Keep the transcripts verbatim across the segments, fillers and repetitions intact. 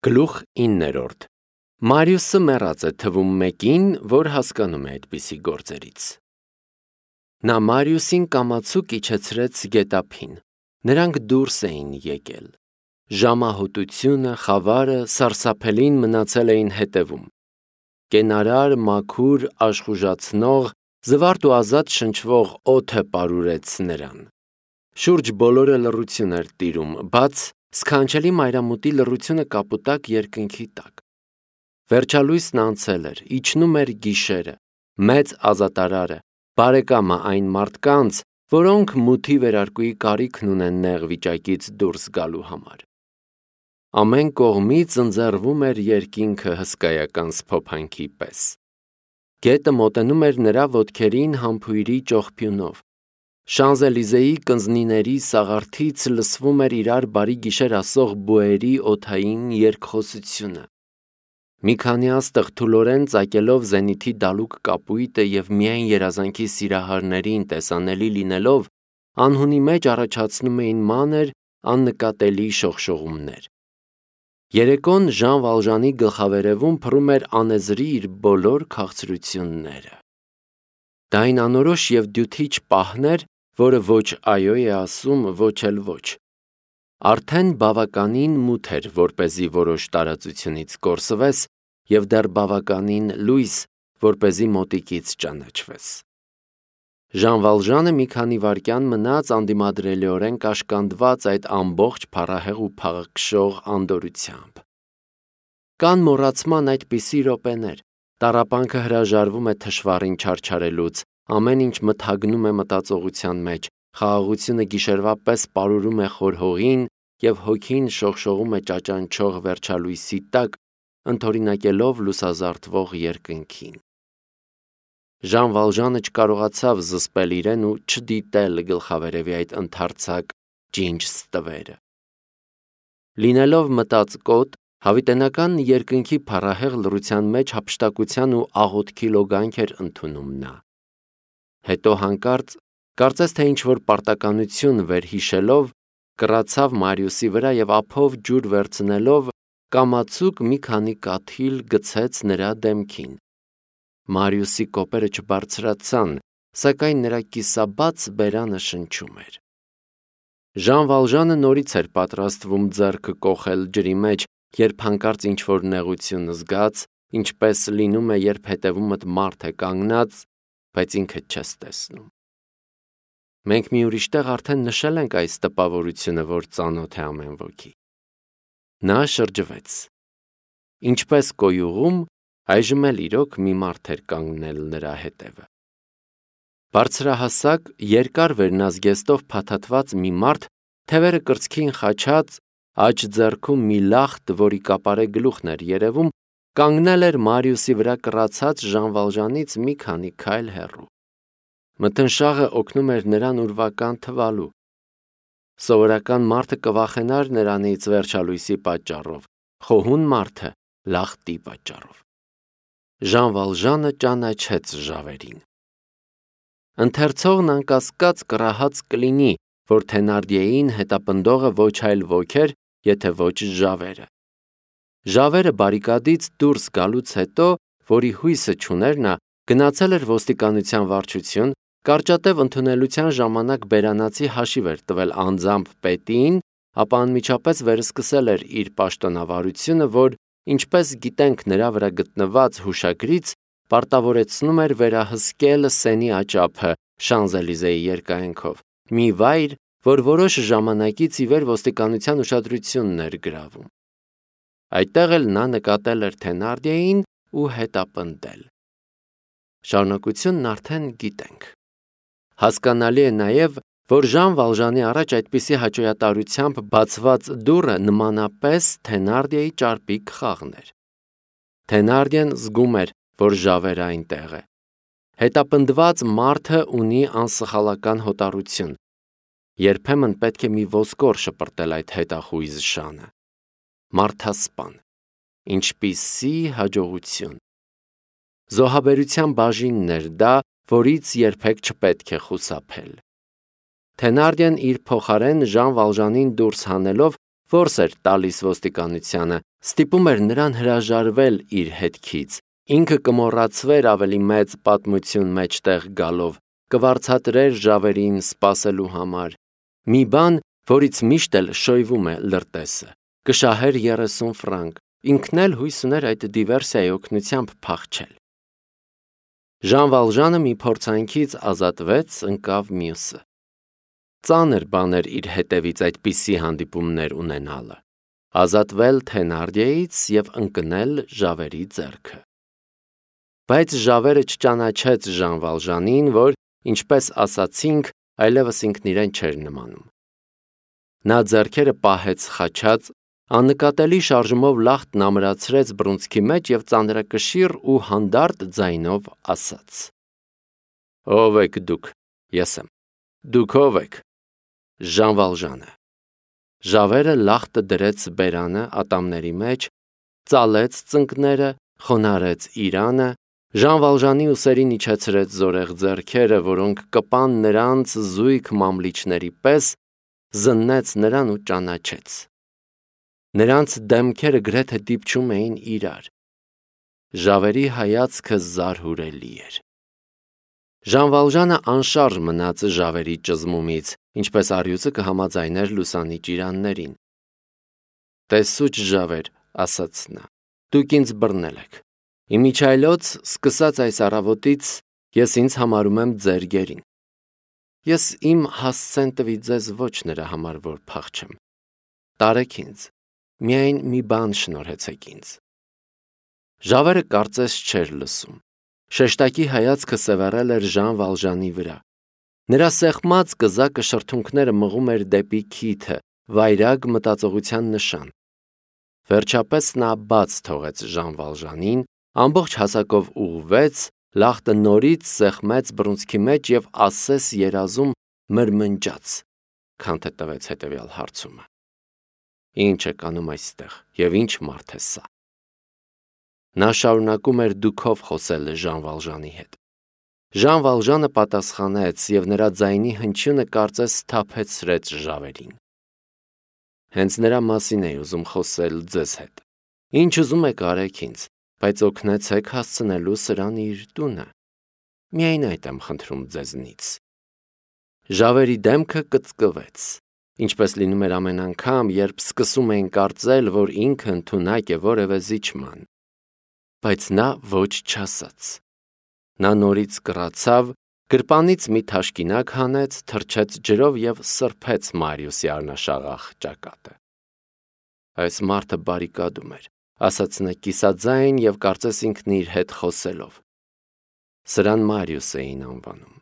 Գլուխ իններորդ Մարիուսը մեռած է թվում մեկին, որ հասկանում է այդպիսի գործերից։ Նա Մարիուսին կամացուկ իջեցրեց գետափին, նրանք դուրս էին եկել։ Ժամահոտությունը, խավարը, սարսափելին մնացել էին հետևում։ Կենարար, մաքուր, աշխուժացնող, զվարթ ու ազատ շնչվող օդը պարուրեց նրան։ Շուրջ բոլորը լռություն էր տիրում, բաց սքանչելի մայրամուտի լռությունը կապուտակ երկնքի տակ։ Վերջալույսն անցել էր, իջնում էր գիշերը, մեծ ազատարարը, բարեկամը այն մարդկանց, որոնք մութի վերարկուի կարիքն ունեն նեղ վիճակից դուրս գալու համար։ Ամեն կողմից ընձեռվում էր երկինքը հսկայական սփոփանքի պես։ Գետը մոտենում էր նրա ոտքերին համբույրի ճողփյունով։ Շանզելիզեի կնձնիների սաղարթից լսվում էր իրար բարի գիշեր ասող բուերի օդային երկխոսությունը։ Մի քանի աստղ թուլորեն ծակելով զենիթի դալուկ կապույտը և միայն երազանքի սիրահարներին տեսանելի լինելով, անհունի մեջ առաջացնում էին մանր, աննկատելի շողշողումներ։ Երեկոն Ժան Վալժանի գլխավերևում փռում էր անեզրի իր բոլոր քաղցրությունները։ Դա այն անորոշ և դյութիչ պահն էր, որը ոչ այո է ասում, ոչ էլ ոչ։ Արդեն բավականին մութ էր, որպեսզի որոշ տարածությունից կորսվես, և դեռ բավականին լույս, որպեսզի մոտիկից ճանաչվես։ Ժան Վալժանը մի քանի վայրկյան մնաց անդիմադրելիորեն կաշկանդված այդ ամբողջ փառահեղ ու փաղաքշող անդորրությամբ։ Կան մոռացման այդպիսի րոպեներ, տառապանքը հրաժարվում է թշվառին չարչարելուց, ամեն ինչ մթագնում է մտածողության մեջ, խաղաղությունը գիշերվա պես պարուրում է խոր հողին և հոգին շողշողում է ճաճանչող վերջալույսի տակ, ընդօրինակելով լուսազարդվող երկնքին։ Ժան Վալժանը չկարողացավ զսպել իրեն ու չդիտել գլխավերևի այդ ընդարձակ ջինջ ստվերը։ Լինելով մտածկոտ, հավիտենական երկնքի փառահեղ լռության մեջ հափշտակության ու աղոթքի լոգանք էր ընդունում նա։ Հետո հանկարծ, կարծես թե ինչ-որ պարտականություն վերհիշելով, կռացավ Մարիուսի վրա և ափով ջուր վերցնելով, կամացուկ մի քանի կաթիլ գցեց նրա դեմքին։ Մարիուսի կոպերը չբարձրացան, սակայն նրա կիսաբաց բերանը շնչում էր։ Ժան Վալժանը նորից էր պատրաստվում ձեռքը կոխել ջրի մեջ, երբ հանկարծ ինչ-որ նեղություն զգաց, ինչպես լինում է, երբ հետևումդ մարդ է կանգնած, բայց ինքդ չես տեսնում։ Մենք մի ուրիշ տեղ արդեն նշել ենք այս տպավորությունը, որ ծանոթ է ամեն ոքի։ Նա շրջվեց։ Ինչպես կոյուղում, այժմ էլ իրոք մի մարդ էր կանգնել նրա հետևը։ Բարձրահասակ, երկար վերնազգեստով փաթաթված մի մարդ, թևերը կրծքին խաչած, աջ ձեռքում մի լախտ, որի կապարե գլուխն էր երևում, կանգնել էր Մարիուսի վրա կռացած Ժան Վալժանից մի քանի քայլ հեռու։ Մթնշաղը օգնում էր նրան ուրվական թվալու։ Սովորական մարդը կվախենար նրանից վերջալույսի պատճառով, խոհուն մարդը լախտի պատճառով։ Ժան Վալժանը ճանաչեց ժավերին։ Ընթերցողն անկասկած կռահած կլինի, որ Թենարդիեին հետապնդողը ոչ այլ ոք էր, եթե ոչ ժավերը։ Ժավերը բարիկադից դուրս գալուց հետո, որի հույսը չուներ նա, գնացել էր ոստիկանության վարչություն, կարճատև ընդունելության ժամանակ բերանացի հաշիվ էր տվել անձամբ պետին, ապա անմիջապես վերսկսել էր իր պաշտոնավարությունը, որ, ինչպես գիտենք նրա վրա գտնված հուշագրից, պարտավորեցնում էր վերահսկել Սենի աճափը Շանզելիզեի երկայնքով, մի վայր, որ որոշ ժամանակից ի վեր ոստիկանության ուշադրությունն էր գրավում։ Այդտեղ էլ նա նկատել էր Թենարդիեին ու հետապնդել։ Շարունակությունն արդեն գիտենք։ Հասկանալի է նաև, որ Ժան Վալժանի առաջ այդպիսի հաճոյատարությամբ բացված դուռը նմանապես Թենարդիեի ճարպիկ խաղն էր։ Թենարդիեն զգում էր, որ ժավերը այնտեղ է։ Հետապնդված մարդը ունի անսխալական հոտառություն։ Երբեմն պետք է մի ոսկոր շպրտել այդ հետախույզ շանը։ Մարդասպան։ Ինչպիսի հաջողություն։ Զոհաբերության բաժինն էր դա, որից երբեք չպետք է խուսափել։ Թենարդիեն իր փոխարեն Ժան Վալժանին դուրս հանելով Որս էր տալիս ոստիկանությանը, ստիպում էր նրան հրաժարվել իր հետքից, ինքը կմոռացվեր ավելի մեծ պատմություն մեջտեղ գալով, կվարձատրեր ժավերին սպասելու համար, մի բան, որից միշտ էլ շոյվում է լրտեսը, կշահեր երեսուն ֆրանկ, ինքն էլ հույս ուներ այդ դիվերսիայի օգնությամբ փախչել։ Ժան Վալժանը մի փորձանքից ազատվեց, ընկավ մյուսը։ Ծանր բան էր իր հետևից այդպիսի հանդիպումներ ունենալը, ազատվել Թենարդիեից և ընկնել ժավերի ձեռքը։ Բայց ժավերը չճանաչեց Ժան Վալժանին, որ, ինչպես ասացինք, այլևս ինքն իրեն չէր նմանում։ Նա ձեռքերը պահեց խաչած, աննկատելի շարժումով լախտն ամրացրեց բռունցքի մեջ և ծանրակշիռ ու հանդարտ ձայնով ասաց. Ո՞վ եք դուք, ես եմ, դուք ո՞վ եք։ Ժան Վալժանը։ Ժավերը լախտը դրեց բերանը ատամների մեջ, ծալեց ծնկները, խոնարհեց իրանը, Ժան Վալժանի ուսերին իջեցրեց զորեղ ձեռքերը, որոնք կպան նրանց զույգ մամլիչների պես, զննեց նրան ու ճանաչեց։ Նրանց դեմքերը գրեթե դիպչում էին իրար։ Ժավերի հայացքը զարհուրելի էր։ Ժան Վալժանը անշարժ մնաց ժավերի ճզմումից, ինչպես առյուծը կհամաձայներ լուսանի ճիրաններին։ Տեսուչ ժավեր, ասաց նա, դուք ինձ բռնել եք։ Իմիջայլոց, սկսած այս առավոտից, ես ինձ համարում եմ ձեր գերին։ Ես իմ հասցեն տվի ձեզ ոչ նրա համար, որ փախչեմ։ Տարեք ինձ, միայն մի բան շնորհեցեք ինձ։ Ժավերը կարծես չէր լսում։ Շեշտակի հայացքը սևեռել էր Ժան Վալժանի վրա։ Նրա սեղմած կզակը շրթունքները մղում էր դեպի քիթը, վայրագ մտածողության նշան։ Վերջապես նա բաց թողեց Ժան Վալժանին, ամբողջ հասակով ուղղվեց, լախտը նորից սեղմեց բռունցքի մեջ և ասես երազում մրմնջաց, քանթե տվեց հետևյալ հարցումը. Ինչ եք անում այստեղ և ինչ մարդ է սա։ Նա շարունակում էր դուքով խոսել Ժան Վալժանի հետ։ Ժան Վալժանը պատասխանեց և նրա ձայնի հնչյունը կարծես սթափեցրեց ժավերին։ Հենց նրա մասին էի ուզում խոսել ձեզ հետ։ Ինչ ուզում եք արեք ինձ, բայց օգնեցեք հասցնելու սրան իր տունը։ Միայն այդ եմ խնդրում ձեզնից։ Ժավերի դեմքը կծկվեց, ինչպես լինում էր ամեն անգամ, երբ սկսում էին կարծել, որ ինքը ընդունակ է որևէ զիջման։ Բայց նա ոչ չասաց։ Նա նորից կռացավ, գրպանից մի թաշկինակ հանեց, թրջեց ջրով և սրբեց Մարիուսի առնաշաղախ ճակատը։ Այս մարդը բարիկադում էր, ասաց նա կիսաձայն և կարծես ինքն իր հետ խոսելով։ Սրան Մարիուս էին անվանում։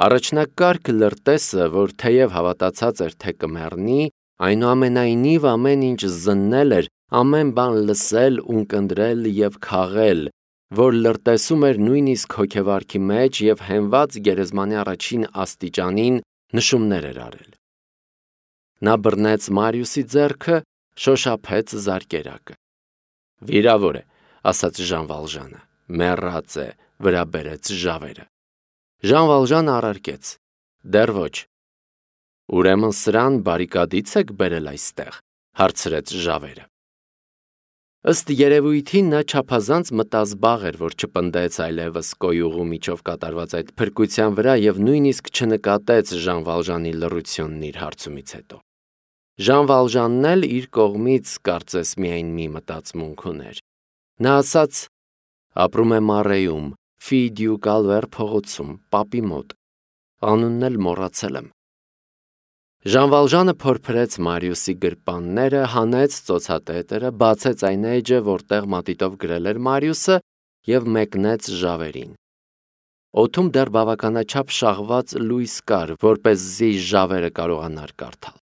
Առաջնակարգ լրտեսը, որ թեև հավատացած էր, թե կմեռնի, այնուամենայնիվ ամեն ինչ զննել էր, ամեն բան լսել, ունկնդրել և քաղել, որ լրտեսում էր նույնիսկ հոգեվարքի մեջ և հենված գերեզմանի առաջին աստիճանին նշումներ էր արել։ Նա բռնեց Մարիուսի ձեռքը, շոշափեց զարկերակը։ Վիրավոր է, ասաց Ժան Վալժանը, մեռած է, վրա բերեց ժավերը։ Ժան Վալժանը առարկեց. Դեռ ոչ։ Ուրեմն սրան բարիկադից եք բերել այստեղ, հարցրեց ժավերը։ Ըստ երևույթին նա չափազանց մտազբաղ էր, որ չպնդեց այլևս կոյուղու միջով կատարված այդ փրկության վրա և նույնիսկ չնկատեց Ժան Վալժանի լռությունն իր հարցումից հետո։ Ժան Վալժանն էլ իր կողմից կարծես միայն մի մտածմունք ուներ։ Նա ասաց. ապրում է Մարեում, Ֆի դյու Կալվեր փողոցում, պապի մոտ, անունն էլ մոռացել եմ։ Ժան Վալժանը փորփրեց Մարիուսի գրպանները, հանեց ծոցատետերը, բացեց այն էջը, որտեղ մատիտով գրել էր Մարիուսը, և մեկնեց ժավերին։ Օդում դեռ բավականաչափ շաղված լույս կար, որպեսզի ժավերը կարողանար կարդալ։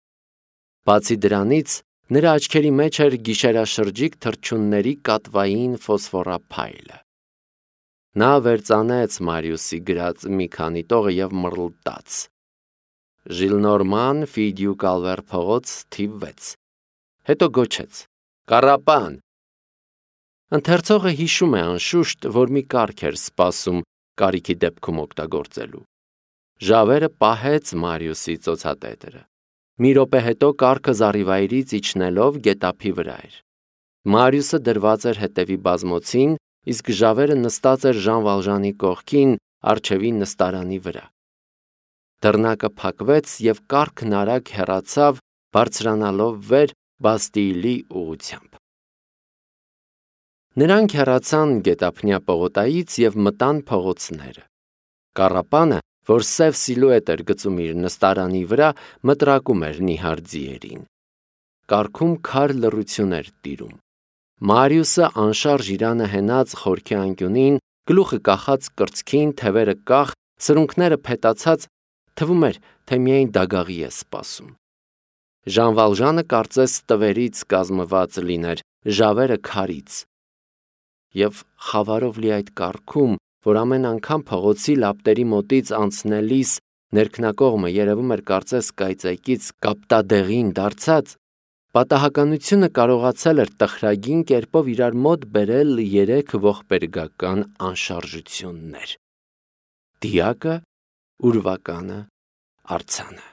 Բացի դրանից, նրա աչքերի մեջ էր գիշերաշրջիկ թռչունների կատվային ֆոսֆորափայլը։ Նա վերծանեց Մարիուսի գրած մի քանի տողը և մռլտաց. Ժիլնորման, Ֆի դյու Կալվեր փողոց, թիվ վեց։ Հետո գոչեց. Կառապան։ Ընթերցողը հիշում է անշուշտ, որ մի կարգ էր սպասում կարիքի դեպքում օգտագործելու։ Ժավերը պահեց Մարիուսի ծոցատետերը։ Մի րոպե հետո կառքը զառիվայրից իջնելով գետափի վրա էր։ Մարիուսը դրված էր հետևի բազմոցին, իսկ Ժավերը նստած էր Ժան Վալժանի կողքին առջևի նստարանի վրա։ Դռնակը փակվեց եւ կառքն արագ հեռացավ, բարձրանալով վեր Բաստիլի ուղությամբ։ Նրանք հեռացան գետափնյա պողոտայից եւ մտան փողոցները։ Կառապանը, որ սև սիլուետ էր գծում իր նստարանի վրա, մտրակում էր նիհար ձիերին։ Կառքում քար լռություն էր տիրում։ Մարիուսը անշարժ իրանը հենած խորքի անկյունին, գլուխը կախած կրծքին, թևերը կախ, սրունքները փետացած, թվում էր, թե միայն դագաղի է սպասում։ Ժան Վալժանը կարծես տվերից կազմված լիներ, Ժավերը քարից։ Եվ խավարով լի այդ կառքում, որ ամեն անգամ փողոցի լապտերի մոտից անցնելիս ներքնակողմը երևում էր կարծես կայծակից կապտադեղին դարձած, պատահականությունը կարողացել էր տխրագին կերպով իրար մոտ բերել երեք ողբերգական անշարժություններ՝ դիակը, ուրվականը, արձանը։